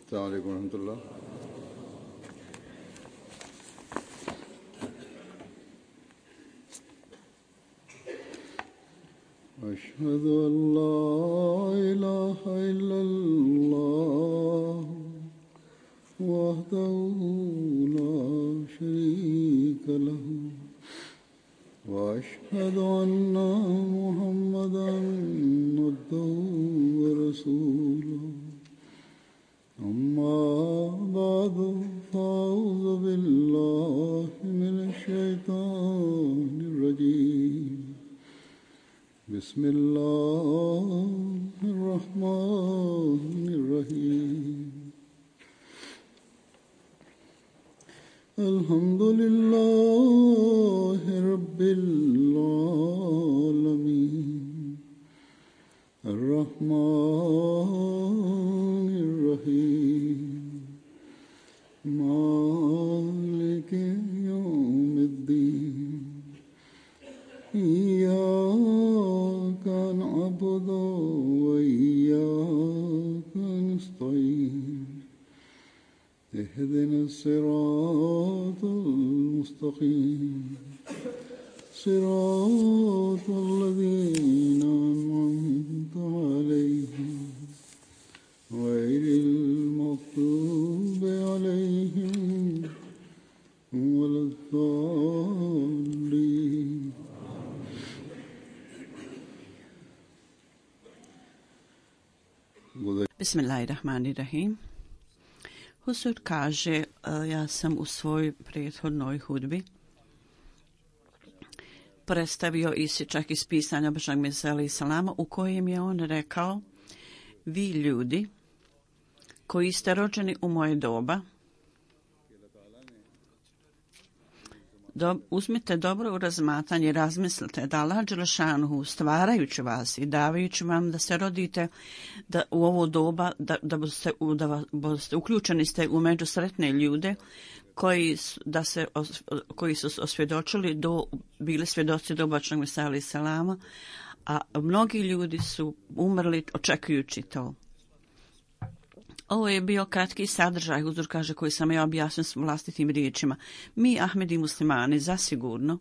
السلام عليكم ورحمة الله. أشهد أن لا إله إلا الله وحده لا شريك له وأشهد أن محمدا عبده ورسوله أما بعد فأعوذ بالله من الشيطان الرجيم بسم الله الرحمن الرحيم الحمد لله رب العالمين الرحمن الرحيم مالك يوم الدين إياك نعبد وإياك نستعين اهدنا الصراط المستقيم صراط الذين أنعمت عليهم غير المغضوب عليهم ولا الضالين. Bismillahirrahmanirrahim. Husur kaže, ja sam u svojoj prethodnoj hudbi predstavio isječak iz pisanja Božjeg Mesija alejhi selama u kojem je on rekao: vi ljudi koji ste rođeni u moje doba, uzmite dobro u razmatranje, razmislite da Allah dželešanuhu stvarajući vas i davajući vam da se rodite da u ovo doba da boste uključeni ste u međusretne ljude koji su osvjedočili bili svjedoci do Božjeg Mesija alejhi selama, a mnogi ljudi su umrli očekujući to. Ovo je bio kratki sadržaj, Huzur kaže, koji sam ja objasnio s vlastitim riječima. Mi, Ahmedi muslimani, zasigurno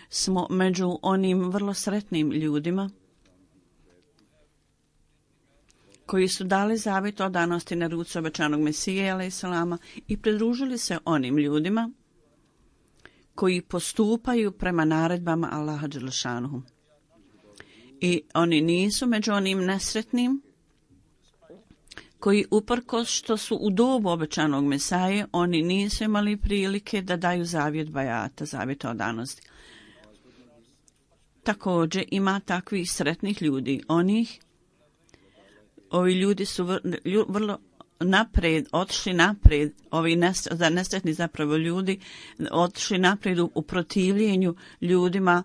smo među onim vrlo sretnim ljudima koji su dali zavjet odanosti na ruci obećanog Mesije alejhi selama i pridružili se onim ljudima koji postupaju prema naredbama Allaha dželešanuhu. I oni nisu među onim nesretnim koji uprkos što su u dobu obećanog Mesaje, oni nisu imali prilike da daju zavjet bajata, zavjet odanosti. Također ima takvih sretnih ljudi. Ovi ljudi su vrlo otišli naprijed, ovi nesretni zapravo ljudi, otišli naprijed u protivljenju ljudima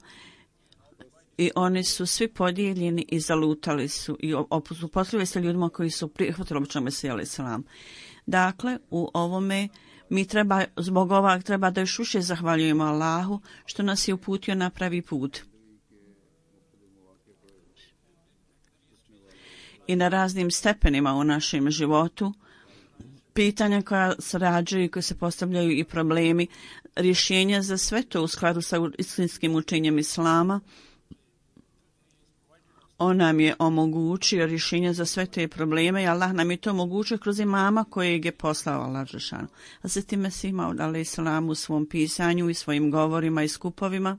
i oni su svi podijeljeni i zalutali su i suprotstavili se ljudima koji su prihvatili obećanog Mesija alejhi selam. Dakle, u ovome mi zbog ovog treba da još više zahvaljujemo Allahu što nas je uputio na pravi put. I na raznim stepenima u našem životu, pitanja koja se rađaju i koje se postavljaju i problemi, rješenja za sve to u skladu sa istinskim učenjem Islama. On nam je omogućio rješenja za sve te probleme i Allah nam je to omogućio kroz imama kojeg je poslao Allah dželešanu. A zatim Mesih Maud alejhi selam u svom pisanju i svojim govorima i skupovima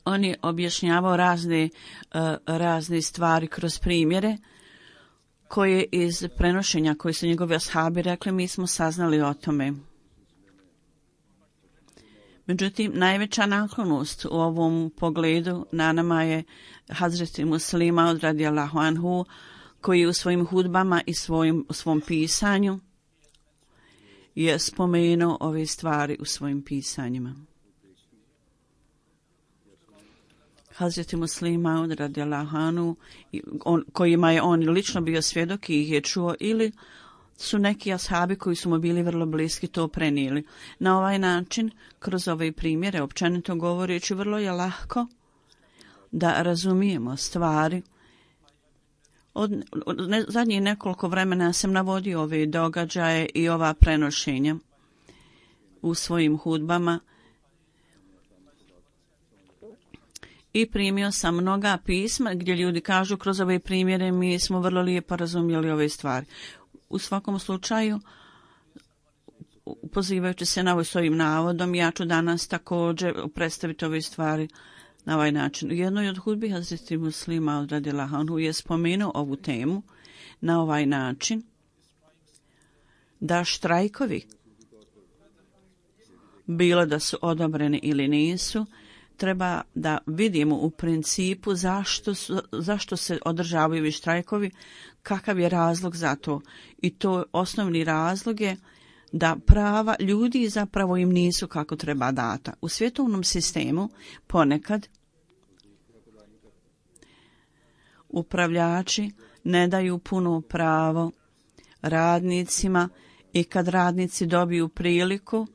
on je objašnjavao razne stvari kroz primjere koje iz prenošenja koje su njegovi ashabi rekli, mi smo saznali o tome. Međutim, najveća naklonost u ovom pogledu na nama je Hazreti Muslima Maud radijallahu anhu, koji u svojim hudbama i svom pisanju je spomenuo ove stvari u svojim pisanjima. Hazreti Muslima Maud radijallahu anhu, kojima je on lično bio svjedok i ih je čuo, ili su neki ashabi koji su mu bili vrlo bliski to prenijeli. Na ovaj način, kroz ove primjere, općenito govoreći, vrlo je lahko da razumijemo stvari. Zadnjih nekoliko vremena sam navodio ove događaje i ova prenošenja u svojim hudbama i primio sam mnoga pisma gdje ljudi kažu kroz ove primjere mi smo vrlo lijepo razumjeli ove stvari. U svakom slučaju, pozivajući se na ovo svojim navodom, ja ću danas također predstaviti ove stvari na ovaj način. U jednoj od hudbi Hazreti Muslima radijallahu anhu je spomenuo ovu temu na ovaj način da štrajkovi, bilo da su odobreni ili nisu, treba da vidimo u principu zašto se održavaju ovi štrajkovi, kakav je razlog za to. I to osnovni razlog je da prava ljudi zapravo im nisu kako treba data. U svjetovnom sistemu ponekad upravljači ne daju puno pravo radnicima i kad radnici dobiju priliku,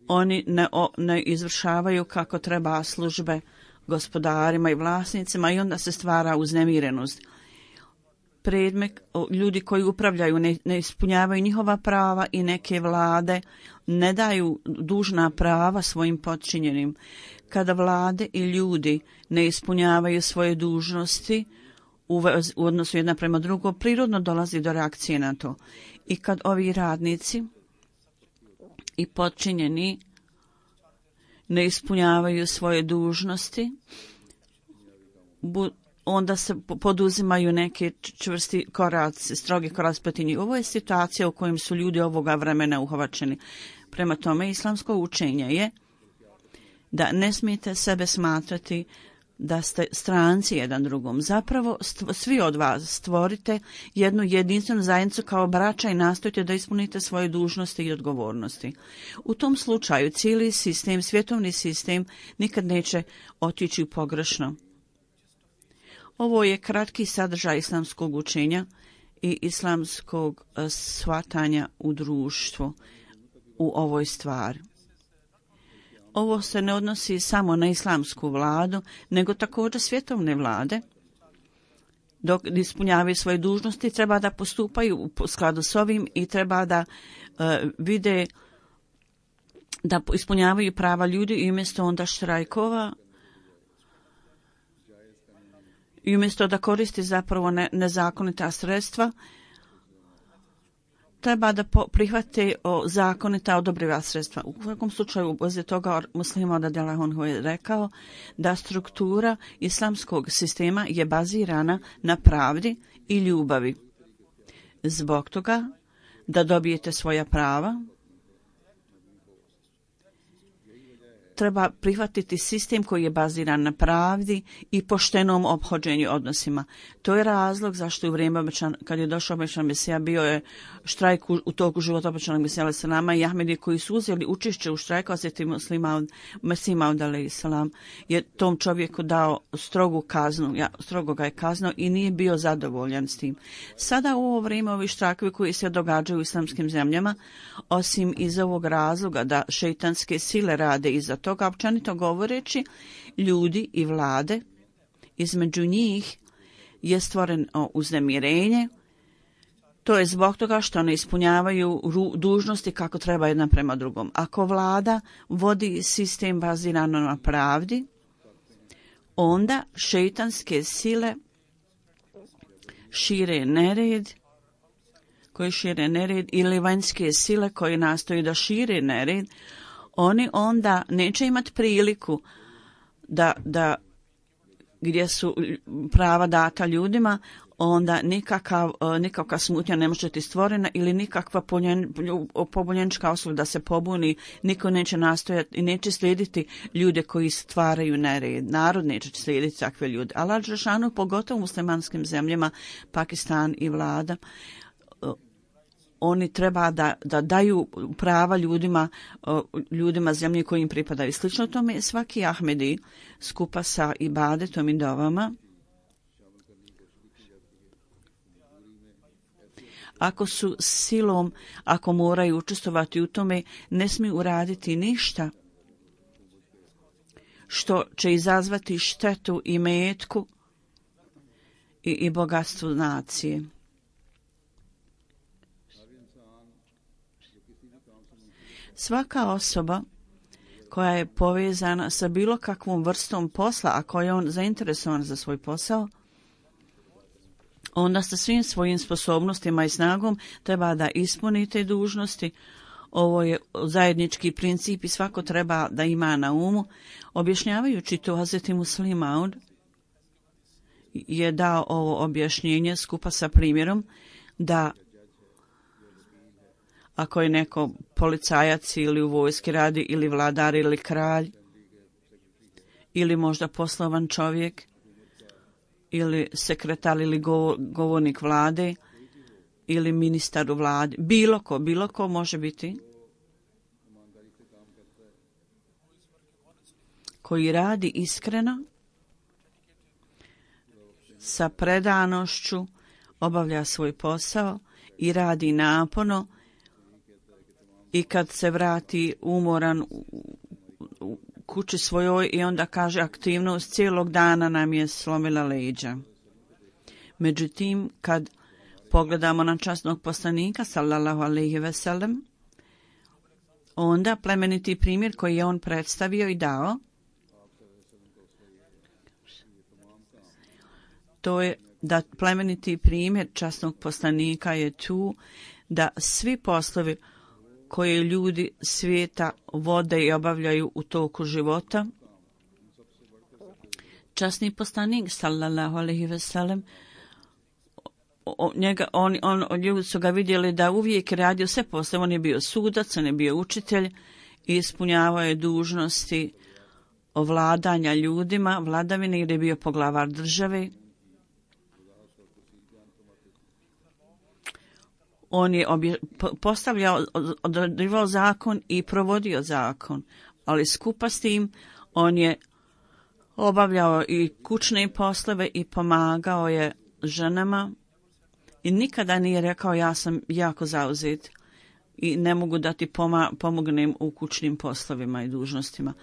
oni ne izvršavaju kako treba službe gospodarima i vlasnicima i onda se stvara uznemirenost. Ljudi koji upravljaju ne ispunjavaju njihova prava i neke vlade ne daju dužna prava svojim podčinjenim. Kada vlade i ljudi ne ispunjavaju svoje dužnosti u odnosu jedna prema drugo, prirodno dolazi do reakcije na to. I kad ovi radnici i podčinjeni ne ispunjavaju svoje dužnosti, onda se poduzimaju neke čvrsti koraci, strogi koraci protiv njih. Ovo je situacija u kojem su ljudi ovoga vremena uhvaćeni. Prema tome, islamsko učenje je da ne smijete sebe smatrati da ste stranci jedan drugom. Zapravo, svi od vas stvorite jednu jedinstvenu zajednicu kao braća i nastojite da ispunite svoje dužnosti i odgovornosti. U tom slučaju cijeli sistem, svjetovni sistem, nikad neće otići u pogrešno. Ovo je kratki sadržaj islamskog učenja i islamskog shvatanja u društvu u ovoj stvari. Ovo se ne odnosi samo na islamsku vladu, nego također svjetovne vlade. Dok ispunjavaju svoje dužnosti, treba da postupaju u skladu s ovim i treba da vide da ispunjavaju prava ljudi i umjesto onda štrajkova i umjesto da koristi zapravo nezakonita sredstva, treba da prihvate zakonita odobriva sredstva. U svakom slučaju, uz toga Muslima radijallahu anhu je rekao da struktura islamskog sistema je bazirana na pravdi i ljubavi. Zbog toga da dobijete svoja prava, treba prihvatiti sistem koji je baziran na pravdi i poštenom ophođenju odnosima. To je razlog zašto u vrijeme kad je došao obećan Mesija bio je štrajk u toku života obećanog Mesija alejhi selama i Ahmedi koji su uzeli učešće u štrajku, a Hazreti Mesih Maud alejhi selam je tom čovjeku dao strogu kaznu, strogo ga je kaznao i nije bio zadovoljan s tim. Sada u ovo vrijeme ovi štrajkovi koji se događaju u islamskim zemljama, osim iz ovog razloga da šejtanske sile rade iza toga, općenito govoreći, ljudi i vlade, između njih je stvoreno uznemirenje. To je zbog toga što ne ispunjavaju dužnosti kako treba jedna prema drugom. Ako vlada vodi sistem bazirano na pravdi, onda šejtanske sile šire nered, ili vanjske sile koje nastoje da šire nered, oni onda neće imati priliku da gdje su prava data ljudima, onda nikakva smutnja ne može biti stvorena ili nikakva pobunjenička osoba da se pobuni, niko neće nastojati i neće slijediti ljude koji stvaraju nered. Narod neće slijediti takve ljude. Allah dželešanu, pogotovo u muslimanskim zemljama, Pakistan i vlada, oni treba da daju prava ljudima zemlje koji im pripadaju. Slično tome svaki Ahmedi skupa sa ibadetom i dovama, ako su silom, ako moraju učestvovati u tome, ne smiju uraditi ništa što će izazvati štetu i metku i bogatstvu nacije. Svaka osoba koja je povezana sa bilo kakvom vrstom posla, a koja je on zainteresovan za svoj posao, onda sa svim svojim sposobnostima i snagom treba da ispuni te dužnosti. Ovo je zajednički princip i svako treba da ima na umu. Objašnjavajući to, Hazreti Muslim Maud je dao ovo objašnjenje skupa sa primjerom da ako je neko policajac ili u vojski radi ili vladar ili kralj ili možda poslovan čovjek ili sekretar ili govornik vlade ili ministar u vladi, bilo ko može biti koji radi iskreno, sa predanošću, obavlja svoj posao i radi naporno i kad se vrati umoran u kući svojoj i onda kaže aktivnost cijelog dana nam je slomila leđa. Međutim, kad pogledamo na časnog poslanika, sallallahu alejhi ve sellem, onda plemeniti primjer koji je on predstavio i dao, to je da plemeniti primjer časnog poslanika je tu da svi poslovi koje ljudi svijeta vode i obavljaju u toku života, časni poslanik sallallahu alejhi ve sellem, ljudi su ga vidjeli da uvijek radio sve poslove. On je bio sudac, on je bio učitelj i ispunjavao je dužnosti ovladanja ljudima, vladavine, jer je bio poglavar države. On je postavljao, određivao zakon i provodio zakon, ali skupa s tim on je obavljao i kućne poslove i pomagao je ženama i nikada nije rekao ja sam jako zauzet i ne mogu da ti pomognem u kućnim poslovima i dužnostima.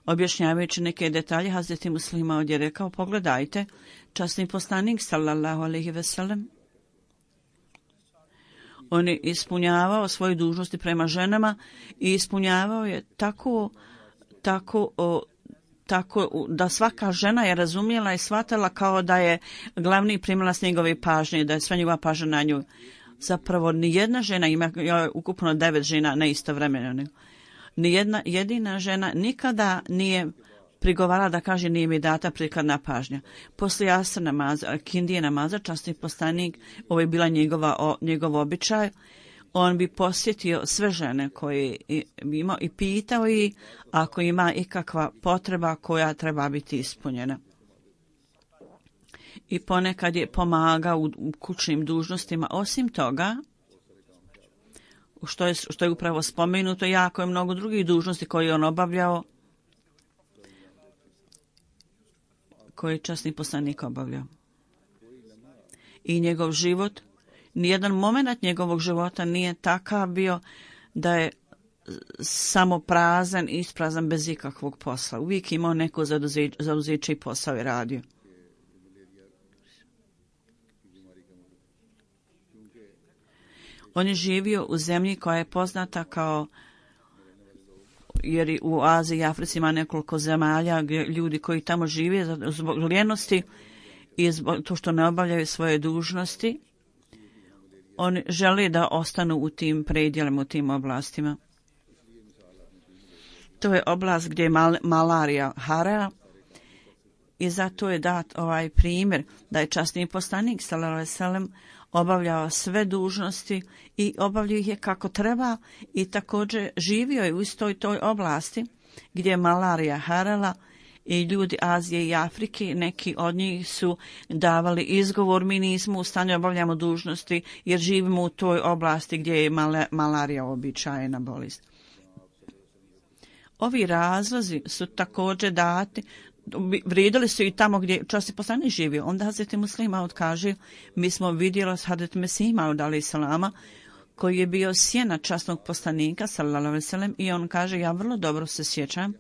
Objašnjavajući neke detalje, Hazreti Muslim Maud je rekao, pogledajte, časni poslanik sallallahu alejhi ve sellem, on je ispunjavao svoje dužnosti prema ženama i ispunjavao je tako da svaka žena je razumjela i shvatila kao da je glavni primalac njegove pažnje, da je sva njegova pažnja na nju. Zapravo nijedna žena, ima ukupno 9 žena neistovremeno, nijedna jedina žena nikada nije prigovarala da kaže nije mi data prikladna pažnja. Poslije asr namaza, kindije namaza, časni poslanik, ovo je bila njegov običaj, on bi posjetio sve žene koje bi imao i pitao ih ako ima ikakva potreba koja treba biti ispunjena. I ponekad je pomagao u kućnim dužnostima. Osim toga, što je upravo spomenuto, jako je mnogo drugih dužnosti koje je on obavljao, koje je časni poslanik obavljao. I njegov život, nijedan moment njegovog života nije takav bio da je samo prazan i isprazan bez ikakvog posla. Uvijek imao neko zauzeće i posao je radio. On je živio u zemlji koja je poznata kao, jer u Aziji i Africi ima nekoliko zemalja gdje ljudi koji tamo žive zbog lijenosti i zbog to što ne obavljaju svoje dužnosti, oni žele da ostanu u tim predjelima, u tim oblastima. To je oblast gdje je malarija harala i zato je dat ovaj primjer da je časni poslanik sallallahu alejhi ve sellem obavljao sve dužnosti i obavljao ih je kako treba i također živio je u istoj toj oblasti gdje je malarija harala i ljudi Azije i Afrike, neki od njih su davali izgovor, mi nismo u stanju obavljamo dužnosti jer živimo u toj oblasti gdje je malarija običajna bolest. Ovi razlozi su također dati, vrijedili su i tamo gdje časni poslanik živio. Onda Hazreti Muslim Maud kaže, mi smo vidjeli s Hazreti Mesih Maud alejhi selama, koji je bio sjena časnog poslanika sallallahu alejhi ve sellem, i on kaže, ja vrlo dobro se sjećam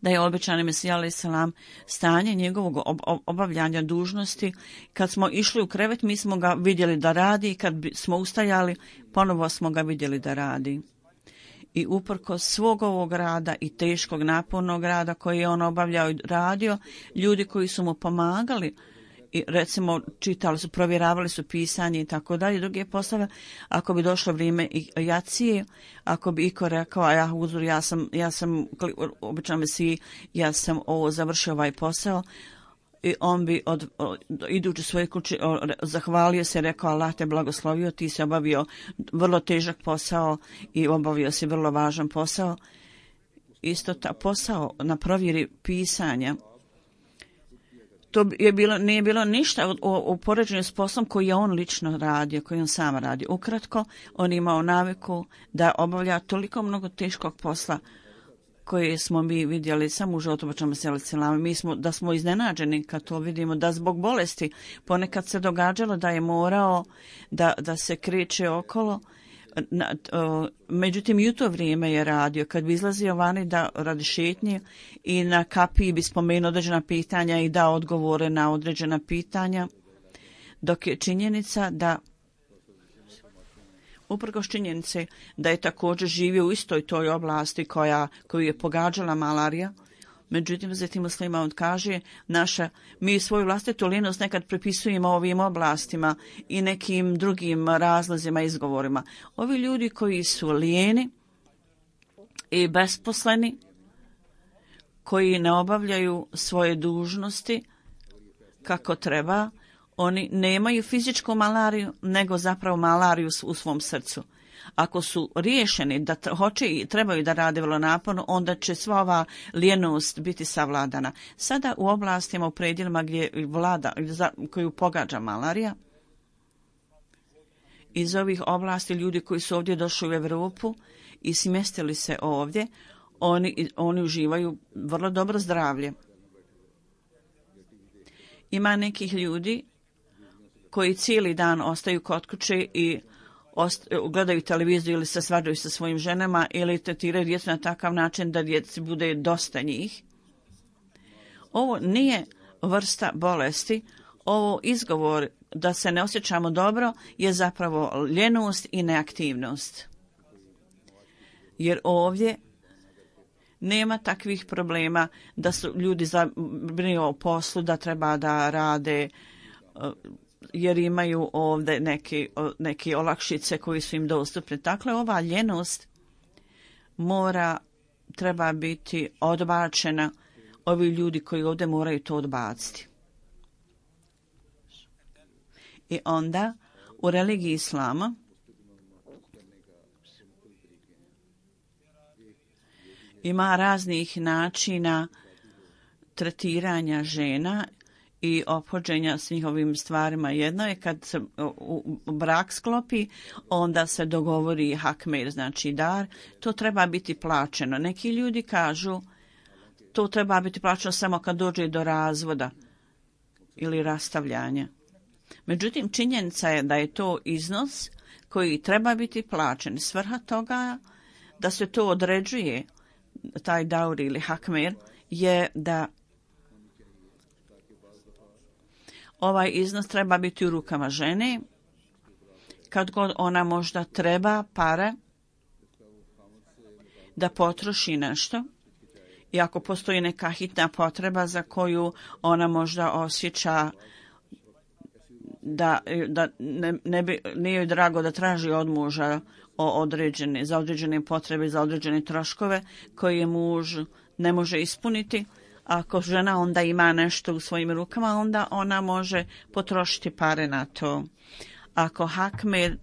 da je obećani Mesija alejhi selam stanje njegovog obavljanja dužnosti. Kad smo išli u krevet, mi smo ga vidjeli da radi i kad smo ustajali, ponovo smo ga vidjeli da radi. I uprkos svog ovog rada i teškog napornog rada koji je on obavljao i radio, ljudi koji su mu pomagali, i recimo čitali su, provjeravali su pisanje i tako dalje, druge poslove, ako bi došlo vrijeme jacije, ako bi iko rekao, ja sam obično Mesiji, ja sam ovo završio ovaj posao, i on bi idući svoje kuće zahvalio se, rekao Allah te blagoslovio, ti si obavio vrlo težak posao i obavio si vrlo važan posao. Isto ta posao na provjeri pisanja, to nije bilo ništa u poređenju s poslom koji je on lično radio, koji on sam radio. Ukratko, on imao naviku da obavlja toliko mnogo teškog posla koje smo mi vidjeli samo u životu Mesija alejhi selam. Mi smo iznenađeni kad to vidimo, da zbog bolesti ponekad se događalo da je morao da se kreće okolo. Međutim, i u to vrijeme je radio, kad bi izlazio vani da radi šetnje i na kapiji bi spomenuo određena pitanja i dao odgovore na određena pitanja, dok je činjenica da uprkos činjenice da je također živio u istoj toj oblasti koju je pogađala malarija. Međutim, zatim Muslima on kaže, mi svoju vlastitu lijenost nekad pripisujemo ovim oblastima i nekim drugim razlozima i izgovorima. Ovi ljudi koji su lijeni i besposleni, koji ne obavljaju svoje dužnosti kako treba, oni nemaju fizičku malariju, nego zapravo malariju u svom srcu. Ako su riješeni da hoće i trebaju da rade vrlo naporno, onda će sva ova lijenost biti savladana. Sada u oblastima, u predjelima gdje vlada, koju pogađa malarija, iz ovih oblasti ljudi koji su ovdje došli u Europu i smjestili se ovdje, oni uživaju vrlo dobro zdravlje. Ima nekih ljudi koji cijeli dan ostaju kod kuće i gledaju televiziju ili se svađaju sa svojim ženama ili tretiraju djecu na takav način da djeci bude dosta njih. Ovo nije vrsta bolesti, ovo izgovor da se ne osjećamo dobro je zapravo ljenost i neaktivnost. Jer ovdje nema takvih problema da su ljudi zabrinuti o poslu, da treba da rade, jer imaju ovdje neke olakšice koji su im dostupne. Dakle, ova ljenost treba biti odbačena. Ovi ljudi koji ovdje moraju to odbaciti. I onda u religiji islama ima raznih načina tretiranja žena i ophođenja s njihovim stvarima. Jedno je kad se brak sklopi, onda se dogovori hakmer, znači dar. To treba biti plaćeno. Neki ljudi kažu to treba biti plaćeno samo kad dođe do razvoda ili rastavljanja. Međutim, činjenica je da je to iznos koji treba biti plaćen. Svrha toga da se to određuje, taj dauri ili hakmer, je da ovaj iznos treba biti u rukama žene, kad god ona možda treba pare da potroši nešto i ako postoji neka hitna potreba za koju ona možda osjeća da nije joj drago da traži od muža za određene potrebe, za određene troškove koje muž ne može ispuniti. Ako žena onda ima nešto u svojim rukama, onda ona može potrošiti pare na to. Ako hakmer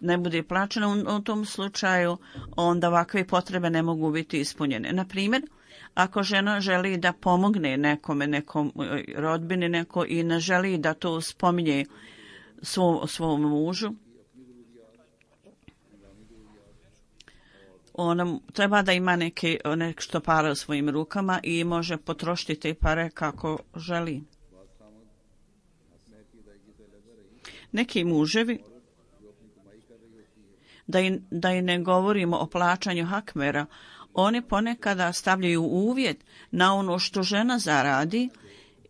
ne bude plaćeno u tom slučaju, onda ovakve potrebe ne mogu biti ispunjene. Na primjer, ako žena želi da pomogne nekom rodbini i ne želi da to spominje svom mužu, ona treba da ima nešto para u svojim rukama i može potrošiti te pare kako želi. Neki muževi, da i ne govorimo o plaćanju hakmera, Oni ponekada stavljaju uvjet na ono što žena zaradi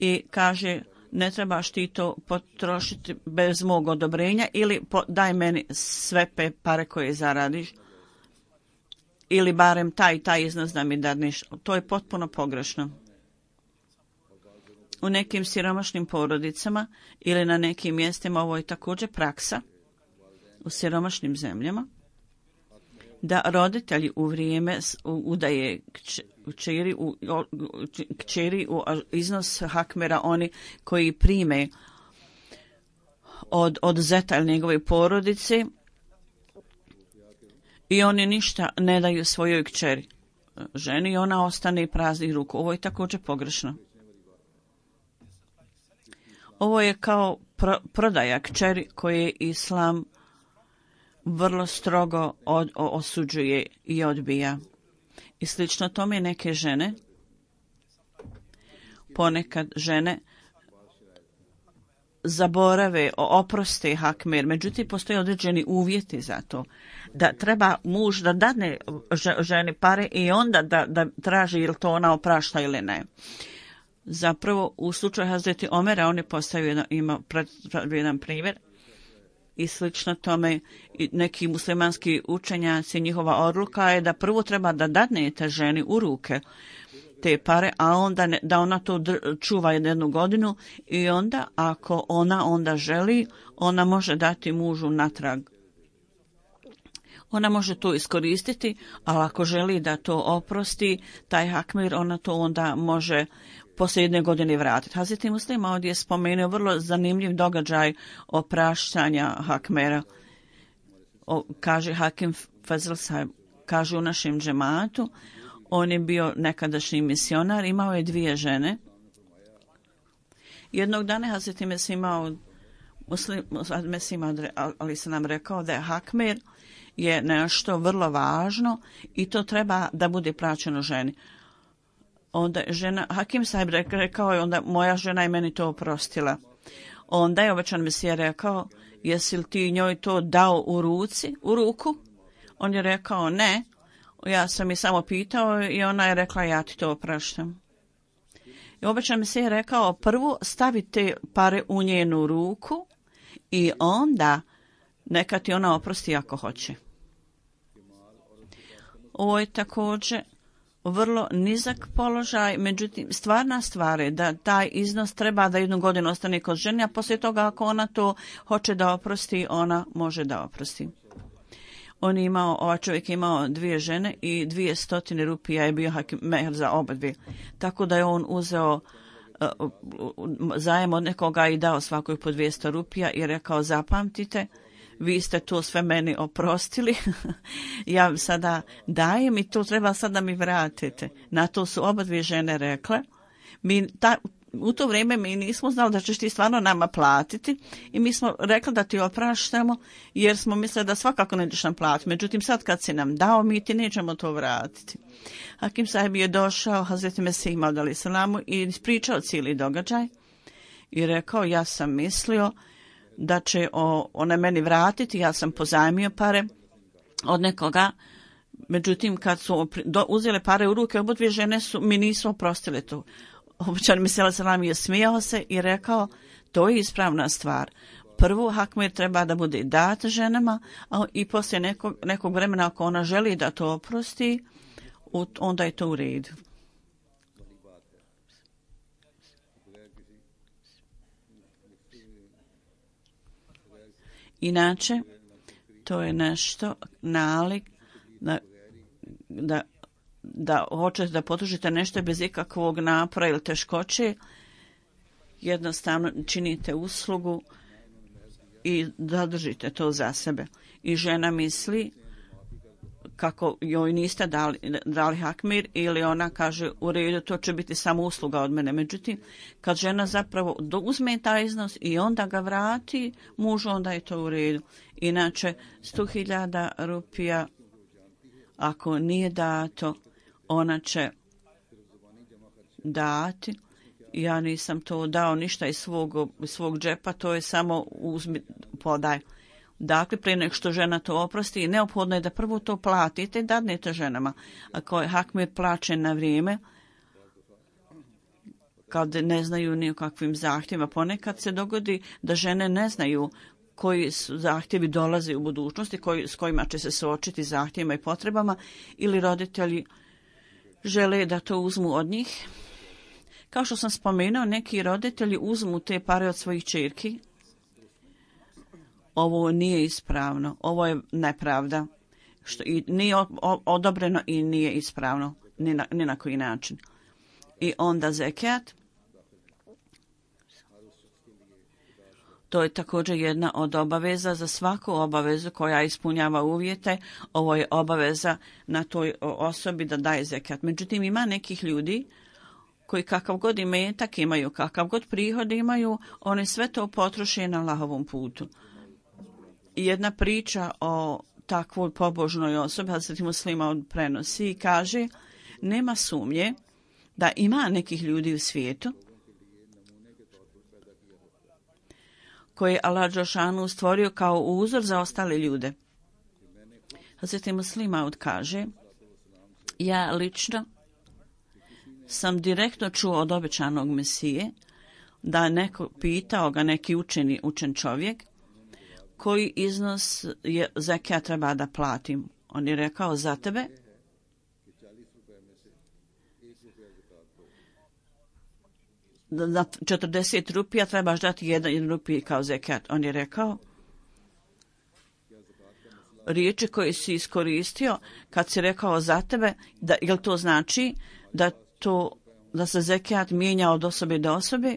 i kaže ne trebaš ti to potrošiti bez mog odobrenja ili daj meni sve pare koje zaradiš ili barem taj iznos da mi dadneš. To je potpuno pogrešno. U nekim siromašnim porodicama ili na nekim mjestima ovo je također praksa u siromašnim zemljama da roditelji u vrijeme udaje kćeri u iznos hakmera oni koji prime od zeta ili njegove porodice i oni ništa ne daju svojoj kćeri ženi i ona ostane praznih ruku. Ovo je također pogrešno. Ovo je kao prodaja kćeri koje Islam vrlo strogo osuđuje i odbija. I slično tome neke žene, ponekad žene zaborave, oproste hakmer, međutim postoje određeni uvjeti za to. Da treba muž da dadne ženi pare i onda da traži ili to ona oprašta ili ne. Zapravo u slučaju Hazreti Omera on je postavio jedan primjer i slično tome neki muslimanski učenjaci, njihova odluka je da prvo treba da dadnete ženi u ruke te pare, a onda da ona to čuva 1 godinu i onda ako ona onda želi, ona može dati mužu natrag. Ona može to iskoristiti, ali ako želi da to oprosti, taj hakmir, ona to onda može poslije 1 godine vratiti. Hazreti Muslim ovdje je spomenuo vrlo zanimljiv događaj opraštanja hakmera. Kaže Hakim Fazl Sahib, kaže u našem džematu, on je bio nekadašnji misionar, imao je 2 žene. Jednog dana Hazreti Mesih ali se nam rekao da je hakmer je nešto vrlo važno i to treba da bude plaćeno ženi. Onda žena, Hakim Sahib rekao je, onda moja žena je meni to oprostila. Onda je obećan Mesija rekao, jesi li ti njoj to dao u ruku? On je rekao ne, ja sam je samo pitao i ona je rekla ja ti to opraštam. I obećan Mesija je rekao, prvo stavi te pare u njenu ruku i onda neka ti ona oprosti ako hoće. Ovo je također vrlo nizak položaj, međutim stvarna stvar je da taj iznos treba da 1 godinu ostane kod žene, a poslije toga ako ona to hoće da oprosti, ona može da oprosti. Ovaj čovjek je imao 2 žene i 200 rupija je bio mehr za oba dvije. Tako da je on uzeo zajem od nekoga i dao svakoj po 200 rupija i rekao zapamtite, vi ste to sve meni oprostili, ja sada dajem i to treba sada mi vratite. Na to su oba 2 žene rekle. U to vrijeme mi nismo znali da ćeš ti stvarno nama platiti i mi smo rekli da ti opraštamo jer smo mislili da svakako nećeš nam platiti. Međutim, sad kad si nam dao, mi ti nećemo to vratiti. Hakim Sahib je došao Hazreti Mesih alejhi selam i ispričao cijeli događaj i rekao ja sam mislio da će ona meni vratiti, ja sam pozajmio pare od nekoga, međutim kad su uzele pare u ruke, oba 2 žene mi nisu oprostile to. Obećan Mesija selam je smijao se i rekao to je ispravna stvar. Prvo hakmer treba da bude dat ženama i poslije nekog vremena ako ona želi da to oprosti, onda je to u redu. Inače, to je nešto nalik da hoćete da potužite nešto bez ikakvog napora ili teškoće, jednostavno činite uslugu i zadržite to za sebe. I žena misli kako joj niste dali hakmir ili ona kaže u redu to će biti samo usluga od mene. Međutim, kad žena zapravo uzme taj iznos i onda ga vrati mužu, onda je to u redu. Inače, 100.000 rupija ako nije dato, ona će dati. Ja nisam to dao ništa iz svog džepa, to je samo uzmi, podaj. Dakle, prije nek što žena to oprosti, neophodno je da prvo to platite i dadnete ženama. Ako je hakmir plaćen na vrijeme, kad ne znaju ni o kakvim zahtjevima, ponekad se dogodi da žene ne znaju koji su zahtjevi dolaze u budućnosti, s kojima će se suočiti zahtjevima i potrebama, ili roditelji žele da to uzmu od njih. Kao što sam spomenuo, neki roditelji uzmu te pare od svojih ćerki. Ovo nije ispravno, ovo je nepravda, što i nije odobreno i nije ispravno, ni na koji način. I onda zekat, to je također jedna od obaveza za svaku obavezu koja ispunjava uvjete. Ovo je obaveza na toj osobi da daje zekat. Međutim, ima nekih ljudi koji kakav god imetak imaju, kakav god prihod imaju, oni sve to potroše na Allahovom putu. Jedna priča o takvoj pobožnoj osobi, Hazreti Muslima prenosi i kaže, nema sumnje da ima nekih ljudi u svijetu koje je Allah dželešanu stvorio kao uzor za ostale ljude. Hazreti Muslima kaže, ja lično sam direktno čuo od obećanog Mesije da neko pitao ga, neki učen čovjek, koji iznos zekat treba da platim. On je rekao, za tebe na 40 rupija trebaš dati 1 rupij kao zekat. On je rekao, riječi koje si iskoristio kad si rekao za tebe, jel to znači da se zekat mijenja od osobe do osobe?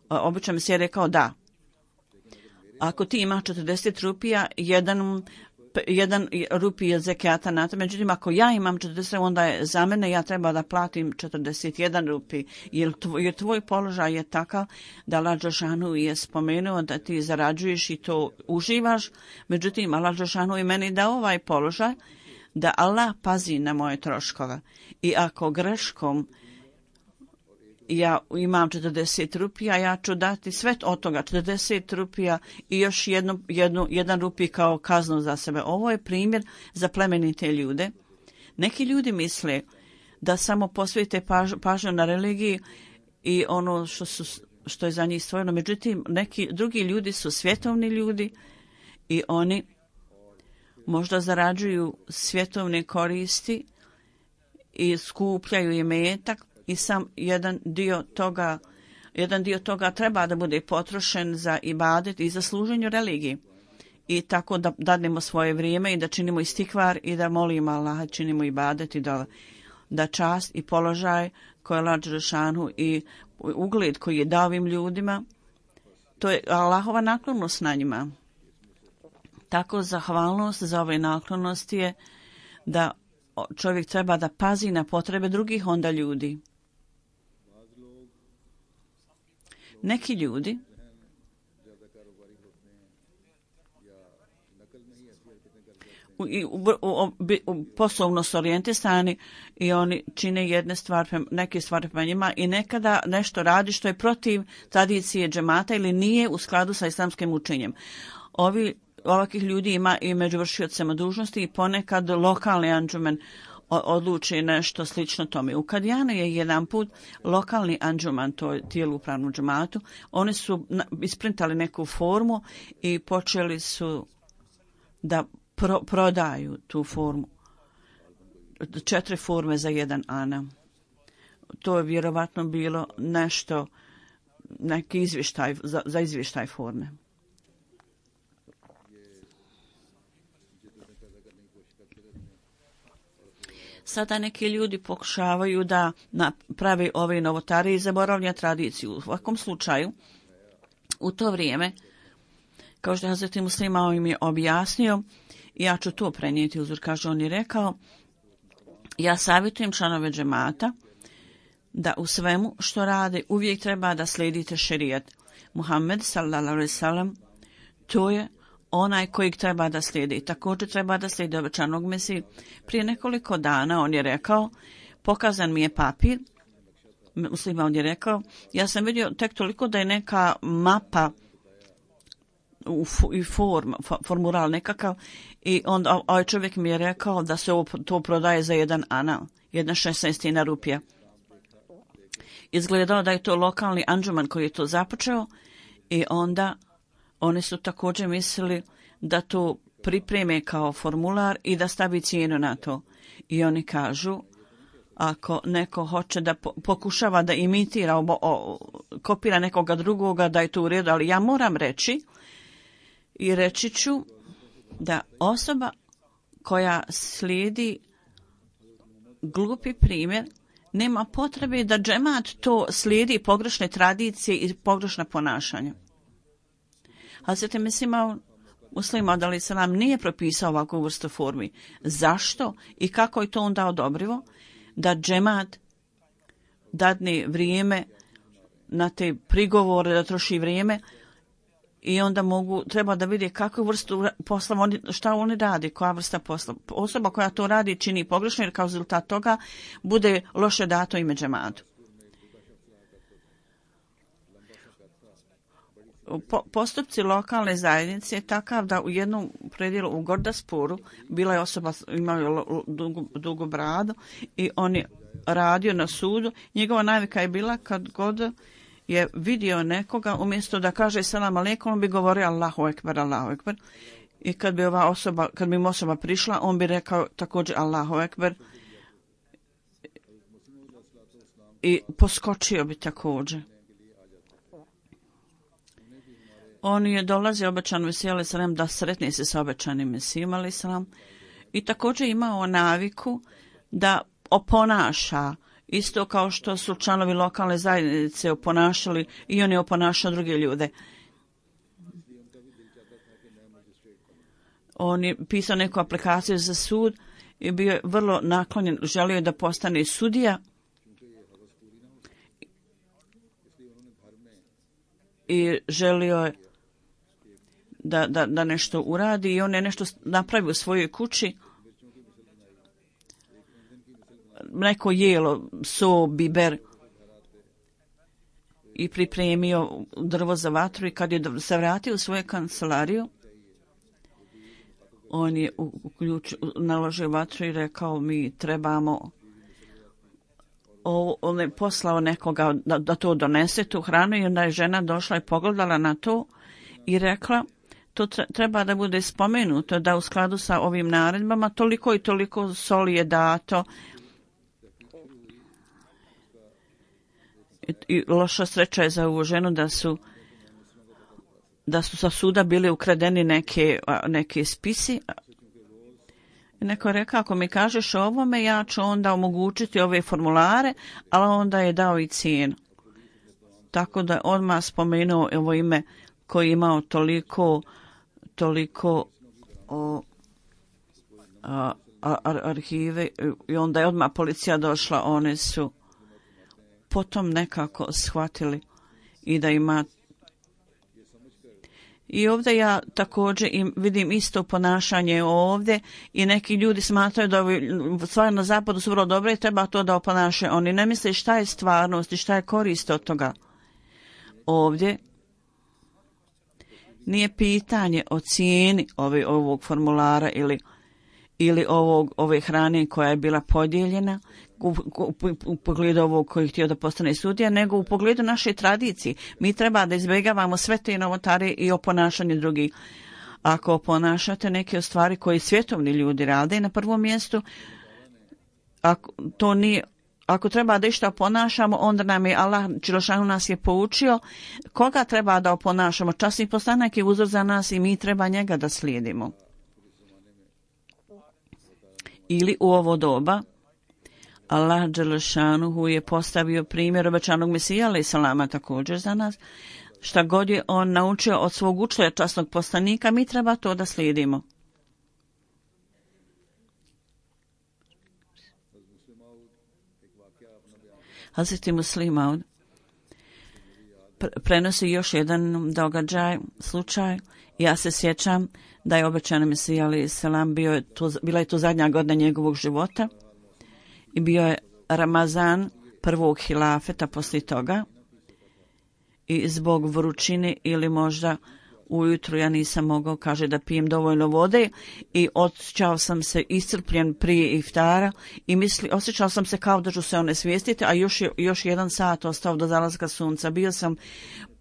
Obično mi se je rekao da. Ako ti imaš 40 rupija, 1 rupij je zekata na to. Međutim, ako ja imam 40, onda je za mene, ja treba da platim 41 rupij. Jer tvoj položaj je takav da Allah dželešanu je spomenuo da ti zarađuješ i to uživaš. Međutim, Allah dželešanu i meni da ovaj položaj, da Allah pazi na moje troškove. I ako greškom ja imam 40 rupija, ja ću dati sve od toga, 40 rupija i još 1 rupij kao kaznu za sebe. Ovo je primjer za plemenite ljude. Neki ljudi misle da samo posvete pažnju na religiji i ono što je za njih stvoreno. Međutim, neki drugi ljudi su svjetovni ljudi i oni možda zarađuju svjetovne koristi i skupljaju imetak, i sam jedan dio toga treba da bude potrošen za ibadet i za služenje religiji. I tako da dadnemo svoje vrijeme i da činimo istikvar i da molimo Allaha, činimo ibadet i da čast i položaj koji je Allah dželešanu i ugled koji je dao ovim ljudima, to je Allahova naklonost na njima. Tako zahvalnost za ove naklonosti je da čovjek treba da pazi na potrebe drugih onda ljudi. Neki ljudi poslovno su orijentisani i oni čine neke stvari prema njima i nekada nešto radi što je protiv tradicije džemata ili nije u skladu sa islamskim učenjem. Ovakvih ljudi ima i među vršiocima dužnosti i ponekad lokalni anđumen odluči nešto slično tome. U Kadijanu je jedan put lokalni anđuman, to je tijelo upravnom džematu, oni su isprintali neku formu i počeli su da prodaju tu formu. 4 forme za 1 ana. To je vjerovatno bilo neki izvještaj, za izvještaj forme. Sada neki ljudi pokušavaju da naprave ove novotarije i zaboravlja tradiciju. U svakom slučaju, u to vrijeme, kao što je Hazreti Muslima im je objasnio, ja ću to prenijeti uzor, kaže, on je rekao, ja savjetujem članove džemata da u svemu što rade uvijek treba da slijedite šerijat. Muhammed sallallahu alejhi ve sellem, to je onaj kojeg treba da slijedi. Također treba da slijedi obećanog Mesiju. Prije nekoliko dana on je rekao, pokazan mi je papir, Muslima on je rekao, ja sam vidio tek toliko da je neka mapa formular nekakav i onda ovaj čovjek mi je rekao da se to prodaje za 1 ana, 1/16 rupija. Izgledao da je to lokalni anđuman koji je to započeo i onda oni su također mislili da to pripreme kao formular i da stavi cijenu na to. I oni kažu, ako neko hoće da pokušava da imitira, kopira nekoga drugoga, da je to u redu, ali ja moram reći i reći ću da osoba koja slijedi glupi primjer nema potrebe da džemat to slijedi pogrešne tradicije i pogrešna ponašanja. Hazreti Muslima alejhi selam nije propisao ovakvu vrstu formi. Zašto i kako je to onda odobrivo? Da džemat dadne vrijeme na te prigovore, da troši vrijeme i onda treba da vidi kakvu vrstu posla, šta oni radi, koja vrsta posla. Osoba koja to radi čini pogrešno jer kao rezultat toga bude loše dato ime džematu. Postupci lokalne zajednice je takav da u jednom predjelu u Gordaspuru bila je osoba, imao dugu bradu i on je radio na sudu. Njegova navika je bila kad god je vidio nekoga, umjesto da kaže selam aleikum, on bi govorio Allahu ekber, Allahu ekber. I kad bi mu osoba prišla, on bi rekao također Allahu ekber i poskočio bi također. On je dolazio obećan Mesiju alejhi selam da sretne se sa obećanim Mesijom alejhi selam i također imao naviku da oponaša isto kao što su članovi lokalne zajednice oponašali i on je oponašao druge ljude. On je pisao neku aplikaciju za sud i bio je vrlo naklonjen, želio je da postane sudija i želio je da nešto uradi i on je nešto napravio u svojoj kući, neko jelo, so, biber i pripremio drvo za vatru i kad je se vratio u svoju kancelariju, on je naložio vatru i rekao mi trebamo, on je poslao nekoga da to donese, tu hranu i onda je žena došla i pogledala na to i rekla to treba da bude spomenuto da u skladu sa ovim naredbama toliko i toliko soli je dato i loša sreća je za ovu ženu da su sa suda bili ukradeni neke spisi. Neko je rekao, ako mi kažeš ovome, ja ću onda omogućiti ove formulare, ali onda je dao i cijenu. Tako da odmah spomenuo ovo ime koji je imao toliko arhive i onda je odmah policija došla, one su potom nekako shvatili i da ima. I ovdje ja također vidim isto ponašanje ovdje i neki ljudi smatraju da stvari na zapadu su vrlo dobre i treba to da oponašaju. Oni ne misle šta je stvarnost i šta je korist od toga. Ovdje nije pitanje o cijeni ovog formulara ili ove hrane koja je bila podijeljena u pogledu ovog koji je htio da postane sudija, nego u pogledu naše tradicije. Mi treba da izbjegavamo sve te novotare i oponašanje drugih. Ako oponašate neke stvari koje svjetovni ljudi rade, na prvom mjestu, ako treba da išta oponašamo, onda nam je Allah Đelešanu nas je poučio koga treba da oponašamo. Časni poslanik je uzor za nas i mi treba njega da slijedimo. Ili u ovo doba Allah Đelešanuhu je postavio primjer obećanog Mesija alejhi selama također za nas. Šta god je on naučio od svog učitelja časnog poslanika, mi treba to da slijedimo. Hazreti Muslih Maud prenosi još jedan događaj, slučaj. Ja se sjećam da je obećani Mesija alejhi selam bila je to zadnja godina njegovog života i bio je Ramazan prvog hilafeta poslije toga i zbog vrućine ili možda ujutru ja nisam mogao, kaže, da pijem dovoljno vode i osjećao sam se iscrpljen prije iftara i osjećao sam se kao da ću se onesvijestiti, a još 1 sat ostao do zalaska sunca. Bio sam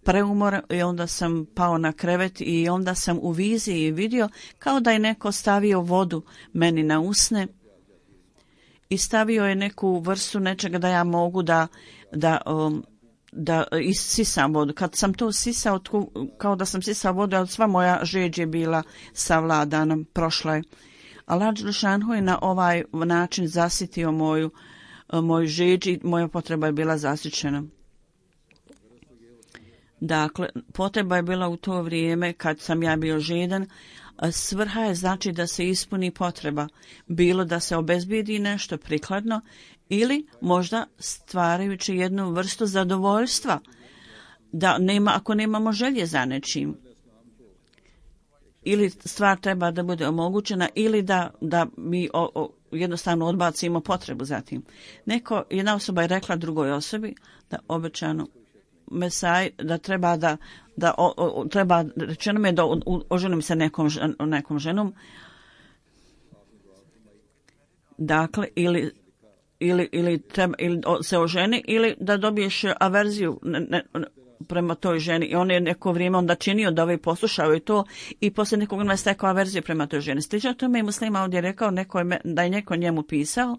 preumoran i onda sam pao na krevet i onda sam u viziji vidio kao da je neko stavio vodu meni na usne i stavio je neku vrstu nečega da ja mogu da isisam vodu. Kad sam to sisao, kao da sam sisao vodu, ali sva moja žeđ je bila savladana, prošla je. Allah dželešanu je na ovaj način zasitio moju žeđ i moja potreba je bila zasićena. Dakle, potreba je bila u to vrijeme kad sam ja bio žedan. Svrha je znači da se ispuni potreba, bilo da se obezbijedi nešto prikladno ili možda stvarajući jednu vrstu zadovoljstva, da ako nemamo želje za nečim, ili stvar treba da bude omogućena ili da mi jednostavno odbacimo potrebu za tim. Jedna osoba je rekla drugoj osobi da obećano Mesaj da treba treba, rečeno mi je da oženim se nekom ženom, dakle ili se oženi ili da dobiješ averziju prema toj ženi i on je neko vrijeme onda činio da ovaj poslušao i to i poslije nekog vremena stekao averziju prema toj ženi. Slično tome je muslima ovdje rekao da je neko njemu pisao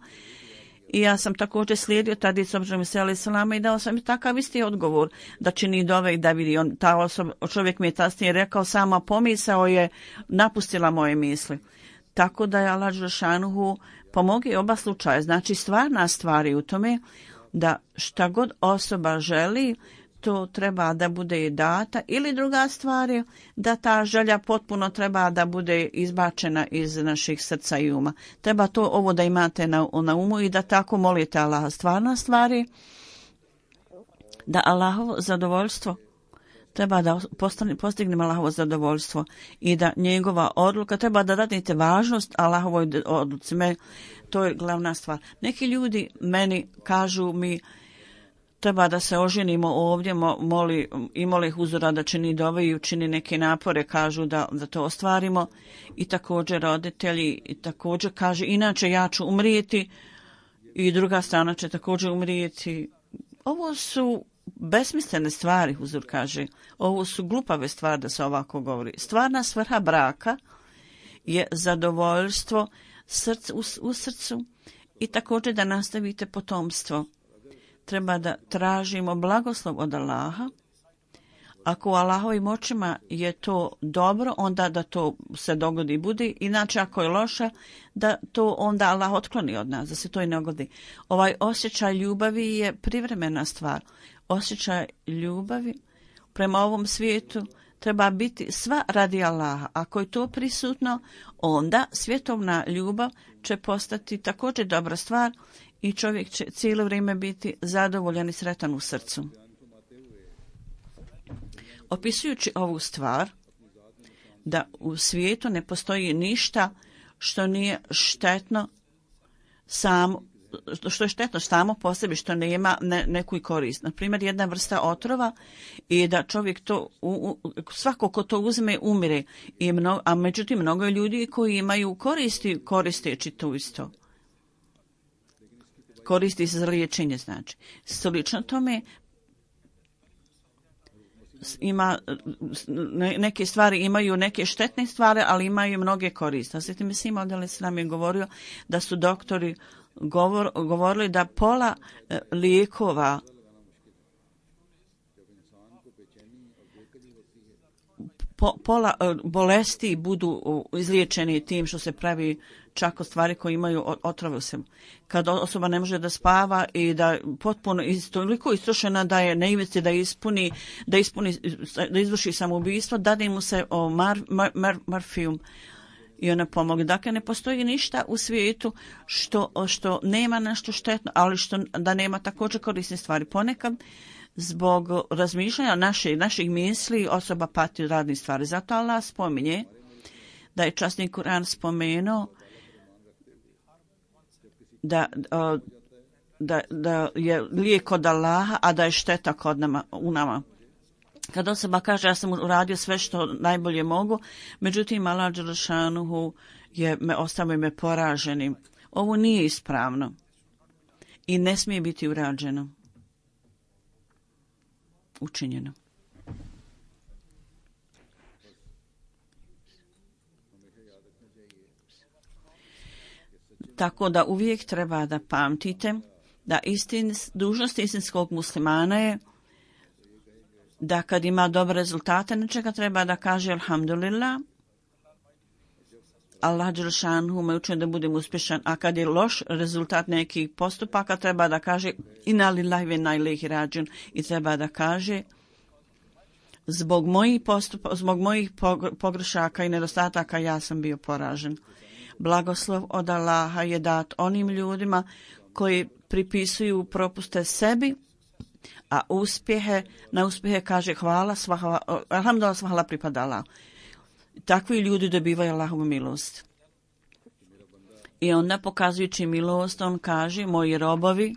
i ja sam također slijedio tradiciju Muhameda selama i dao sam takav isti odgovor da čini dove i da vidi. Čovjek mi je kasnije rekao, sama pomisao je napustila moje misli. Tako da je Allah dželešanu pomogi oba slučaja. Znači stvarna stvar je u tome da šta god osoba želi, to treba da bude data, ili druga stvar je da ta želja potpuno treba da bude izbačena iz naših srca i uma. Treba ovo da imate na umu i da tako molite Allaha. Stvarna stvar je da Allahovo zadovoljstvo treba da postignemo Allahovo zadovoljstvo i da njegova odluka treba da dadete važnost Allahovoj odluci. To je glavna stvar. Neki ljudi meni kažu mi treba da se oženimo ovdje, moli huzura da čini dove i učini neke napore, kažu da to ostvarimo. I također roditelji i također kaže inače ja ću umrijeti i druga strana će također umrijeti. Ovo su besmislene stvari, huzur kaže. Ovo su glupave stvari da se ovako govori. Stvarna svrha braka je zadovoljstvo u srcu i također da nastavite potomstvo. Treba da tražimo blagoslov od Allaha. Ako u Allahovim očima je to dobro, onda da to se dogodi i bude. Inače, ako je loše, da to onda Allah otkloni od nas, da se to i ne dogodi. Ovaj osjećaj ljubavi je privremena stvar. Osjećaj ljubavi prema ovom svijetu treba biti sva radi Allaha. Ako je to prisutno, onda svjetovna ljubav će postati također dobra stvar i čovjek će cijelo vrijeme biti zadovoljan i sretan u srcu. Opisujući ovu stvar, da u svijetu ne postoji ništa što nije štetno što je štetno samo po sebi, što nema neku korist. Na primjer, jedna vrsta otrova i da čovjek to, svako ko to uzme, umire. A međutim, mnogo ljudi koji imaju koristeći to isto. Koristi se za liječenje, znači. Slično tome neke stvari imaju neke štetne stvari, ali imaju mnoge koriste. Sveti Mesih Maud selam je govorio da su doktori govorili da pola lijekova pola bolesti budu izliječeni tim što se pravi čak od stvari koje imaju otrove u sebi. Kad osoba ne može da spava i da potpuno toliko istrošena da je na ivici da izvrši samoubistvo, dade mu se morfijum i ona pomogne. Dakle, ne postoji ništa u svijetu što nema nešto štetno, ali da nema također korisne stvari. Ponekad zbog razmišljanja naših misli osoba pati od raznih stvari. Zato Allah spominje da je časni Kur'an spomenuo da je lijek od Allaha, a da je šteta u nama. Kad osoba kaže ja sam uradio sve što najbolje mogu, međutim Allah dželešanuhu ostavio me poraženim. Ovo nije ispravno i ne smije biti urađeno, učinjeno. Tako da uvijek treba da pamtite da dužnost istinskog muslimana je da kad ima dobre rezultate nečega treba da kaže alhamdulillah, Allah dželešanuhu me učinio da budem uspješan, a kad je loš rezultat nekih postupaka treba da kaže inna lillahi ve inna ilaihi rađiun i treba da kaže zbog mojih pogrešaka i nedostataka ja sam bio poražen. Blagoslov od Allaha je dat onim ljudima koji pripisuju propuste sebi, a na uspjehe kaže alhamdulillah, hvala pripada Allah. Takvi ljudi dobivaju Allahovu milost. I onda pokazujući milost, on kaže, moji robovi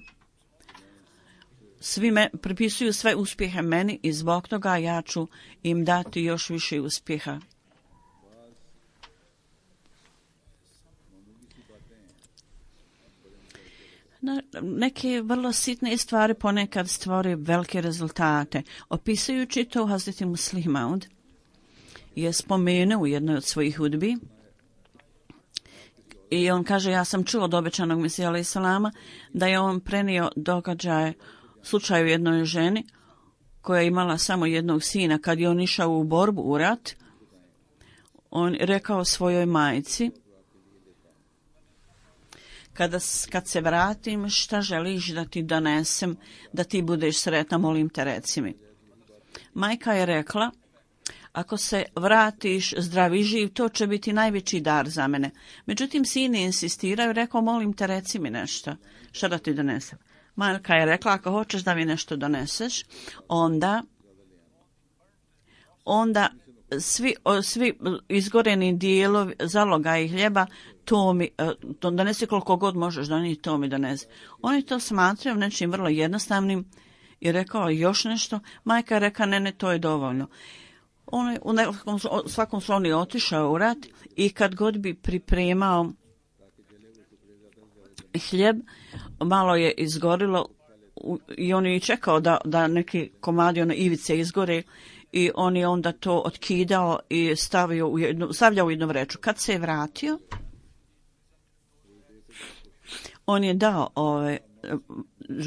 pripisuju sve uspjehe meni i zbog toga ja ću im dati još više uspjeha. Neke vrlo sitne stvari ponekad stvore velike rezultate. Opisujući to, Hazreti Muslih Maud je spomenuo u jednoj od svojih hudbi i on kaže, ja sam čuo od obećanog Mesija alejhi selama da je on prenio događaje slučaju jednoj ženi koja je imala samo jednog sina. Kad je on išao u borbu, u rat, on rekao svojoj majci, kad se vratim, šta želiš da ti donesem, da ti budeš sretna, molim te reci mi. Majka je rekla, ako se vratiš zdrav i živ, to će biti najveći dar za mene. Međutim, sin je insistirao i rekao, molim te reci mi nešto, šta da ti donesem. Majka je rekla, ako hoćeš da mi nešto doneseš, onda svi izgoreni dijelovi zaloga i hljeba, to donesi koliko god možeš, donijeti, to mi donesi. Oni to smatraju nečim vrlo jednostavnim i rekao još nešto. Majka je rekla, ne, to je dovoljno. On je u svakom slučaju otišao u rat i kad god bi pripremao hljeb, malo je izgorilo i on je čekao da neki komadi ivice izgore i on je onda to otkidao i stavljao u jednu vreću. Kad se je vratio, on je dao ove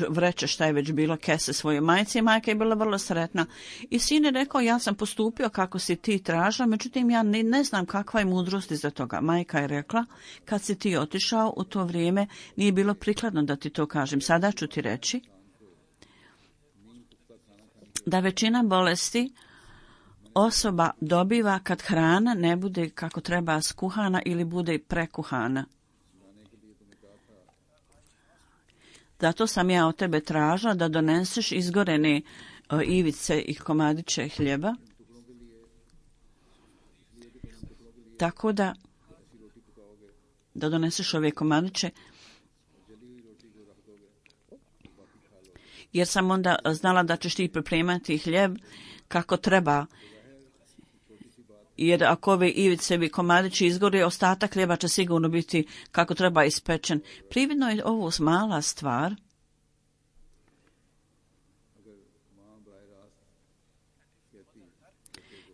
vreće, šta je već bilo, kese svoje majci i majka je bila vrlo sretna. I sin je rekao, ja sam postupio kako si ti tražila, međutim ja ne znam kakva je mudrost iza toga. Majka je rekla, kad si ti otišao u to vrijeme, nije bilo prikladno da ti to kažem. Sada ću ti reći da većina bolesti osoba dobiva kad hrana ne bude kako treba skuhana ili bude prekuhana. Zato sam ja od tebe tražila da doneseš izgorene ivice i komadiće hljeba. Tako da doneseš ove komadiće. Jer sam onda znala da ćeš ti pripremati hljeb kako treba. Jer ako ove ivice i komadići izgore, ostatak hljeba će sigurno biti kako treba ispečen. Prividno je ovo mala stvar.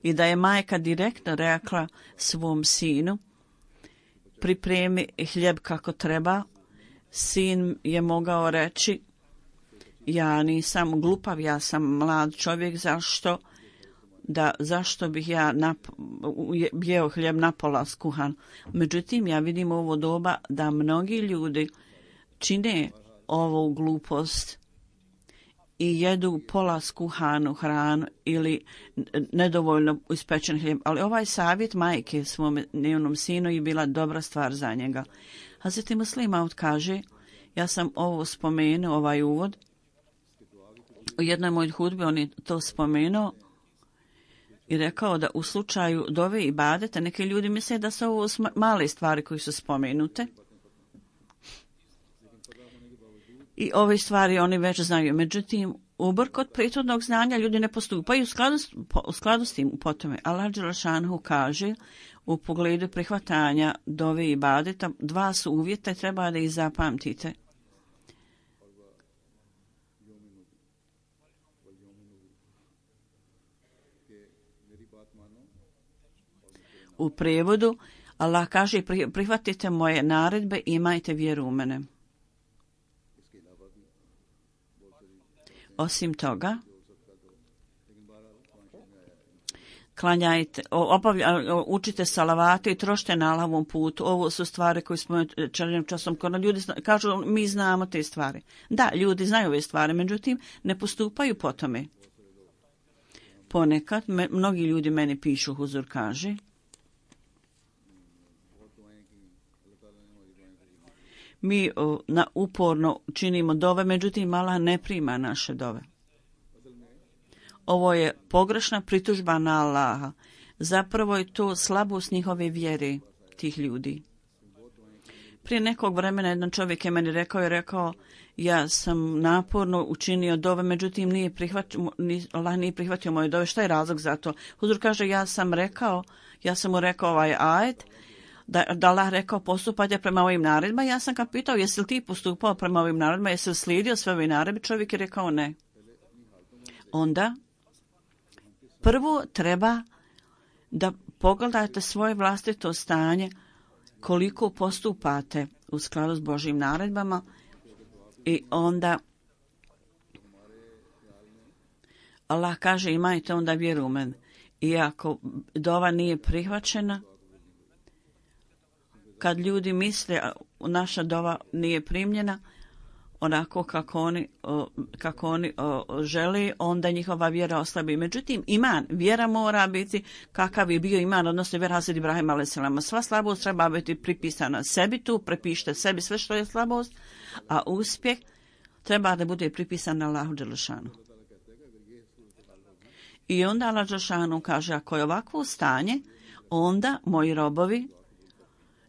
I da je majka direktno rekla svom sinu, pripremi hljeb kako treba, sin je mogao reći, ja nisam glupav, ja sam mlad čovjek, zašto bih ja jeo hljeb napola skuhan. Međutim, ja vidim ovo doba da mnogi ljudi čine ovu glupost i jedu pola skuhanu hranu ili nedovoljno ispečen hljeb. Ali ovaj savjet majke svom njenom sinu je bila dobra stvar za njega. Hazreti Muslih Maud kaže, ja sam ovo spomenuo, ovaj uvod, u jednoj mojoj hudbi on je to spomenuo i rekao da u slučaju dove i ibadeta neki ljudi misle da su ovo male stvari koje su spomenute. I ove stvari oni već znaju. Međutim, ubrkot prethodnog znanja ljudi ne postupaju u skladu s tim po tome. Allah dželešanu kaže u pogledu prihvatanja dove i ibadeta, dva su uvjeta i treba da ih zapamtite. U prevodu Allah kaže prihvatite moje naredbe i imajte vjeru u mene. Osim toga, klanjajte, učite salavate i trošite na Allahovom putu. Ovo su stvari koje smo čelim časom kod ljudi kažu mi znamo te stvari. Da, ljudi znaju ove stvari, međutim ne postupaju po tome. Ponekad mnogi ljudi meni pišu, Huzur kaže, mi uporno činimo dove, međutim Allah ne prima naše dove. Ovo je pogrešna pritužba na Allaha. Zapravo je to slabost njihove vjere tih ljudi. Prije nekog vremena jedan čovjek je meni rekao ja sam naporno učinio dove, međutim Allah nije prihvatio moje dove. Šta je razlog za to? Huzur kaže ja sam mu rekao ovaj ajet, da Allah rekao postupajte prema ovim naredbama. Ja sam ga pitao jesi li ti postupao prema ovim naredbama, jesi li slijedio sve ove naredbe? Čovjek je rekao ne. Onda prvo treba da pogledate svoje vlastito stanje, koliko postupate u skladu s Božjim naredbama i onda Allah kaže imajte onda vjeru u mene. I ako dova nije prihvaćena, kad ljudi misle naša dova nije primljena onako kako oni žele, onda njihova vjera oslabi. Međutim, vjera mora biti kakav je bio iman, odnosno vjera Hazreti Ibrahima alejselam. Sva slabost treba biti pripisana sebi tu, prepišite sebi sve što je slabost, a uspjeh treba da bude pripisan Allahu dželešanu. I onda Allah dželešanu kaže ako je ovakvo stanje, onda moji robovi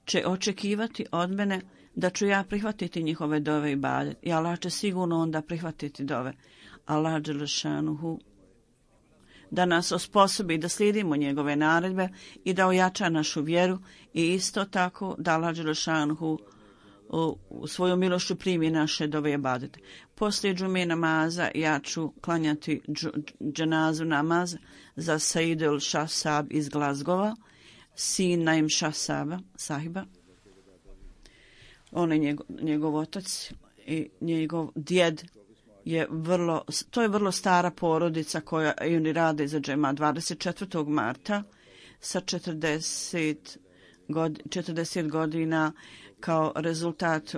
će očekivati od mene da ću ja prihvatiti njihove dove i ibadet. I Allah će sigurno onda prihvatiti dove. Allah dželešanuhu da nas osposobi da slijedimo njegove naredbe i da ojača našu vjeru i isto tako da Allah dželešanuhu u svoju milošću primi naše dove i ibadete. Poslije džume namaza ja ću klanjati dženazu namaz za Saidul Šahsab iz Glazgova, sin Naim Sahiba. On je njegov otac i njegov djed to je vrlo stara porodica koja i oni rade za džema 24. marta sa 40 godina kao rezultat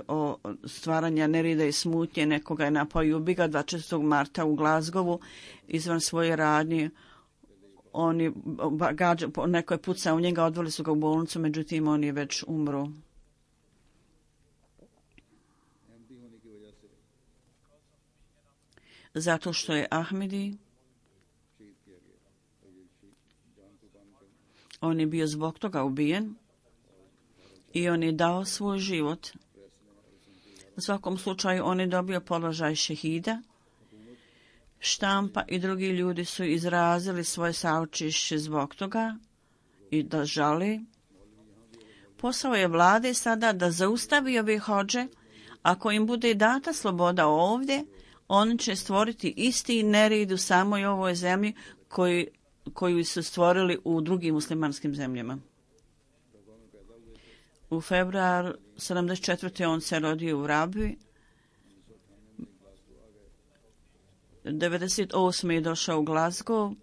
stvaranja nerida i smutnje. Nekoga je napao i ubiga 24. marta u Glazgovu izvan svoje radnje. Neko je pucao u njega, odveli su ga u bolnicu, međutim on je već umro. Zato što je Ahmedi, on je bio zbog toga ubijen i on je dao svoj život. U svakom slučaju on je dobio položaj šehida. Štampa i drugi ljudi su izrazili svoje saučešće zbog toga i da žale. Posao je vlade sada da zaustavi ove hodže. Ako im bude data sloboda ovdje, oni će stvoriti isti nered u samoj ovoj zemlji koju su stvorili u drugim muslimanskim zemljama. U februaru 74. on se rodio u Rabi. 98. je došao u Glasgow,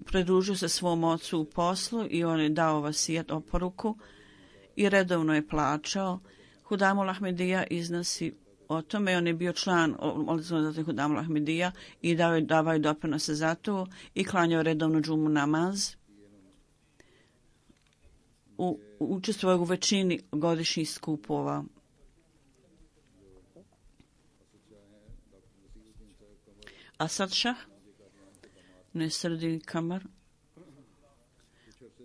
pridružio se svom ocu u poslu i on je dao vasijat oporuku i redovno je plaćao. Hudamul Ahmedija iznosi o tome, on je bio član Hudamul Ahmedija i davao je doprinose za to i klanjao redovno džumu namaz. Učestvovao u većini godišnjih skupova. Asad Šah, Nesrdin Kamar,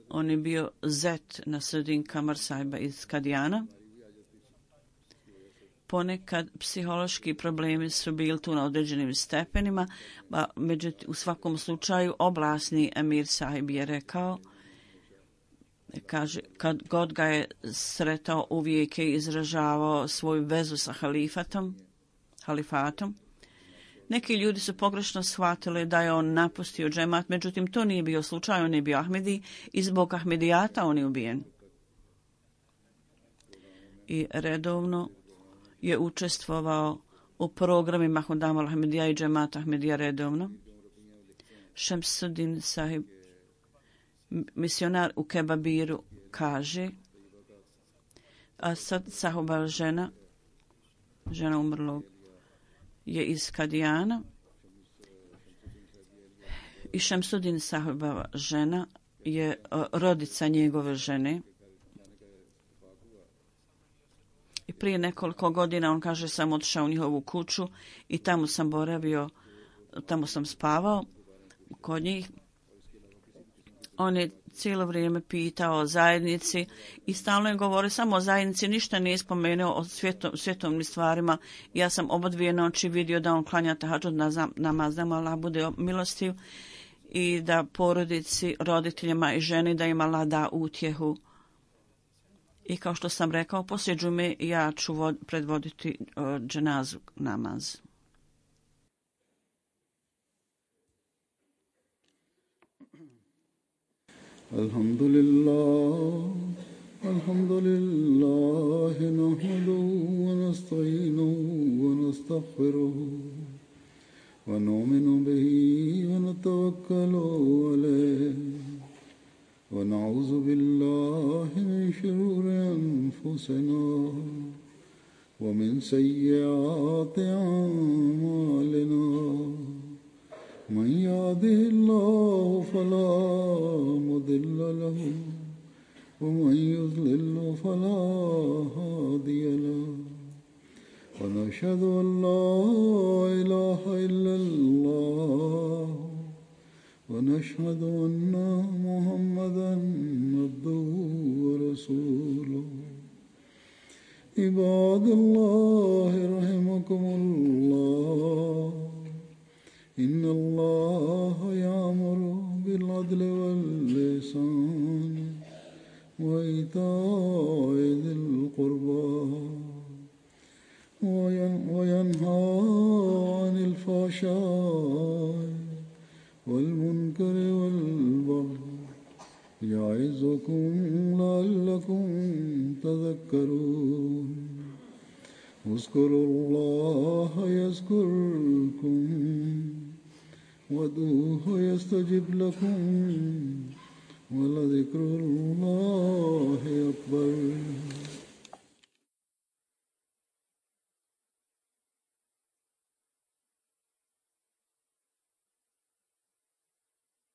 on je bio zet Nesrdin Kamar Sahiba iz Kadijana ponekad psihološki problemi su bili tu na određenim stepenima, međutim u svakom slučaju oblasni emir sahib je rekao, kaže, kad god ga je sretao uvijek je izražavao svoju vezu sa halifatom. Neki ljudi su pogrešno shvatili da je on napustio džemat, međutim to nije bio slučaj, on je bio Ahmedi i zbog Ahmedijata on je ubijen. I redovno je učestvovao u programima Hudam al-Ahmedija i džemata Ahmedija redovno. Šemsuddin sahib, misionar u Kebabiru, kaže, a sad sahuba žena umrlog, je iz Kadijana i Šemsuddin sahibova žena je rodica njegove žene. I prije nekoliko godina on kaže sam otišao u njihovu kuću i tamo sam boravio, tamo sam spavao kod njih. On je cijelo vrijeme pitao o zajednici i stalno je govorio samo o zajednici, ništa nije spomenuo o svjetovnim stvarima. Ja sam oba dvije noći vidio da on klanja tahadžud namaz, da mu Allah bude milostiv i da porodici, roditeljima i ženi da im Allah da utjehu. I kao što sam rekao, poslije džume ja ću predvoditi dženazu namaz. Alhamdulillah nahmaduhu wa nasta'inuhu wa nastaghfiruhu wa nu'minu bihi wa natawakkalu alayhi wa na'udhu billahi min shururi anfusina wa min sayyiati a'malina. من يهده الله فلا مضل له ومن يضلل فلا هادي له ونشهد أن لا إله إلا الله ونشهد أن محمدا عبده ورسوله. عباد الله رحمكم الله إن الله يأمر بالعدل والإحسان وإيتاء ذي القربى وينهى عن الفحشاء والمنكر والبغي يعظكم لعلكم تذكرون. اذكروا الله يذكركم وادعوه يستجب لكم ولذكر الله أكبر.